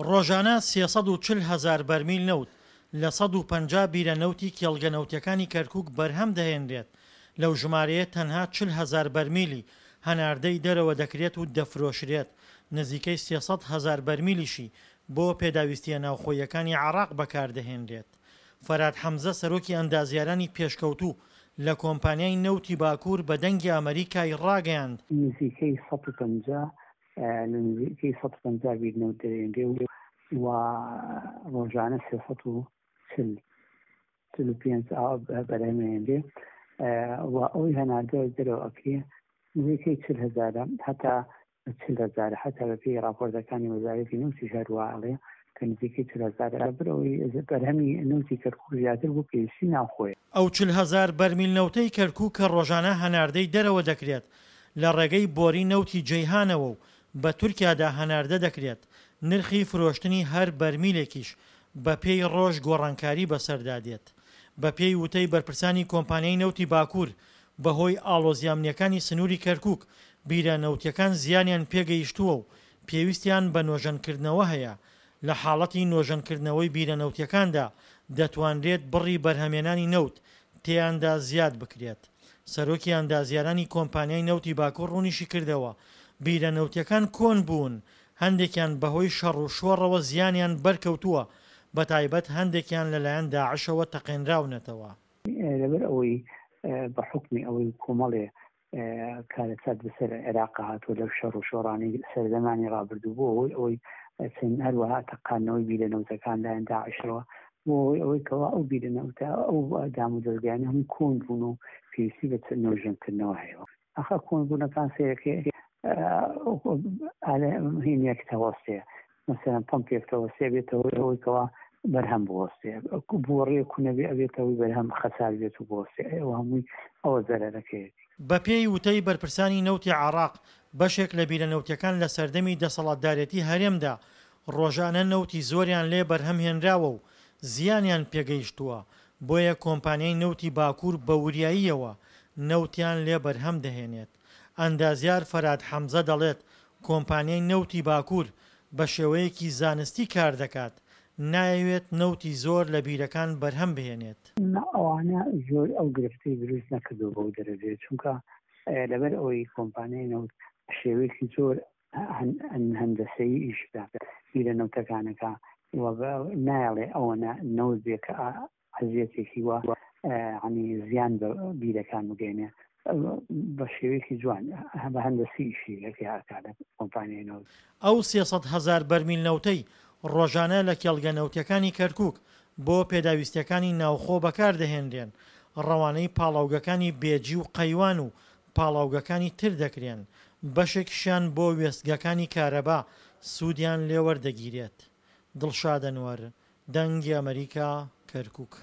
ڕۆژانە 340 هەزار بەرمیل نەوت لە 150 بیرە نەوتی کێڵگە نەوتیەکانی کەرکوک بەرهەم دەهێنرێت، لەو ژمارەیە تەنها 40 هەزار بەرمیلی هەناردەی دەرەوە دەکرێت و دەفرۆشرێت، نزیکەی 300 هەزار بەرمیلیشی بۆ پێداویستییە ناوخۆییەکانی عێراق بەکاردەهێنرێت. فەرهاد حەمزە سەرۆکی ئەندازیارانی پێشکەوتوو لە کۆمپانیای نەوتی باکوور بە دەنگی ئەمەریکای ڕاگەیاند، نزیکەی 150 لە نزیکەی 150 بیر نەوت دەرێنرێ و ڕۆژانە 340 45 ئاو بەرهەمێنرێ و ئەوەی هەناردە دەرەوە ئەکرێ نزیکەی 40 هەزارە هەتا 40 هەزارە هەتا بەپێی ڕاپۆرتەکانی وەزارەتی نەوتیش هەروا ئەڵێ کە نزیکەی 40 هەزارە لەبەرئەوەی بەرهەمی نەوتی کەرکوک زیاتر بۆ پێویستی ناوخۆیە. ئەو 40 هەزار بەرمیل نەوتەی کەرکوک کە ڕۆژانە هەناردەی دەرەوە دەکرێت لە ڕێگەی بۆری نەوتی جەیهانەوە و بە تورکیادا هەناردە دەکرێت، نرخی فرۆشتنی هەر بەرمیلێکیش بەپێی ڕۆژ گۆڕانکاری بەسەردا دێت. بەپێی وتەی بەرپرسانی کۆمپانیای نەوتی باکوور، بەهۆی ئاڵۆزییە ئەمنییەکانی سنووری کەرکووک، بیرە نەوتییەکان زیانیان پێگەیشتووە و پێویستیان بە نۆژەنکردنەوە هەیە، لە حاڵەتی نۆژەنکردنەوەی بیرە نەوتییەکاندا دەتوانرێت بڕی بەرهەمێنانی نەوت تێیاندا زیاد بکرێت. سەرۆکی ئەندازیارانی کۆمپانیای نەوتی باکوور ڕوونیشیکردەوە، بیرە نەوتییەکان کۆن بوون، هەندێکیان بەهۆی شەڕ و شۆڕەوە زیانیان بەرکەوتووە، بەتایبەت هەندێکیان لەلایەن داعشەوە تەقێنراونەتەوە. لەبەر ئەوەی بە حوکمی ئەوەی کۆمەڵێ کارەسات بەسەر عێراق هاتووە لەو شەڕ و شۆڕانەی سەردەمانی ڕابردوو بۆ هۆی ئەوەی چەند هەروەها تەقاندنەوەی بیرە نەوتەکان لایەن داعشەوە بۆ هۆی ئەوەی کەوا ئەو بیرە نەوتە ئەو دام و دەزگایانە هەموو کۆن بوون و پێویستی بە نۆژەنکردنەوە هەیە. ئەخە کۆنبوونەکان سەیرەکەی هینێک تەوەستێ مەسەلەن پەمپێک تەوەستێ بێتەوە ئەوەی کەوا بەرهەم بوەستێ بۆڕیە کونەبێ ئەبێتەوەی بەرهەم خەسار بێت و بۆستێ ئەو هەمووی ئەوە زەرەرەکەیەتی. بەپێی وتەی بەرپرسانی نەوتی عێراق، بەشێک لە بیرە نەوتیەکان لە سەردەمی دەسەڵاتدارێتی هەرێمدا ڕۆژانە نەوتی زۆریان لێ بەرهەم هێنراوە و زیانیان پێگەیشتووە، بۆیە کۆمپانیای نەوتی باکوور بە وریاییەوە نەوتیان لێ بەرهەم دەهێنێت. ئەندازیار فەراد حەمزە دەڵێت، کۆمپانیای نەوتی باکوور بە شێوەیەکی زانستی کار دەکات، نایەوێت نەوتی زۆر لە بیرەکان بەرهەم بهێنێت. نا ئەوانە زۆر ئەو گرفتەی دروست نەکردووە بەو دەرەجەیە، چونکە لەبەر ئەوەی کۆمپانیای نەوت بە شێوەیەکی زۆر هەندەسەیی ئیش بە بیرە نەوتەکانەکە و نایەڵێ ئەوەنە نەوت بێ کە ئەزیەتێکی وا ینی زیان بە بیرەکان بگەینێ بە شێوەیەکی جوان بە هەندەسی ئیشی لەکە ئەکا لە کۆمپانیای نەوت. ئەو 300 هەزار بەرمیل نەوتەی ڕۆژانە لە کێڵگە نەوتیەکانی کەرکوک بۆ پێداویستیەکانی ناوخۆ بەکاردەهێنرێن، ڕەوانەی پاڵاوگەکانی بێجی و قەیوان و پاڵاوگەکانی تر دەکرێن، بەشێکیشیان بۆ وێستگەکانی کارەبا سوودیان لێوەردەگیرێت. دڵشاد ئەنوەر، دەنگی ئەمەریکا، کەرکوک.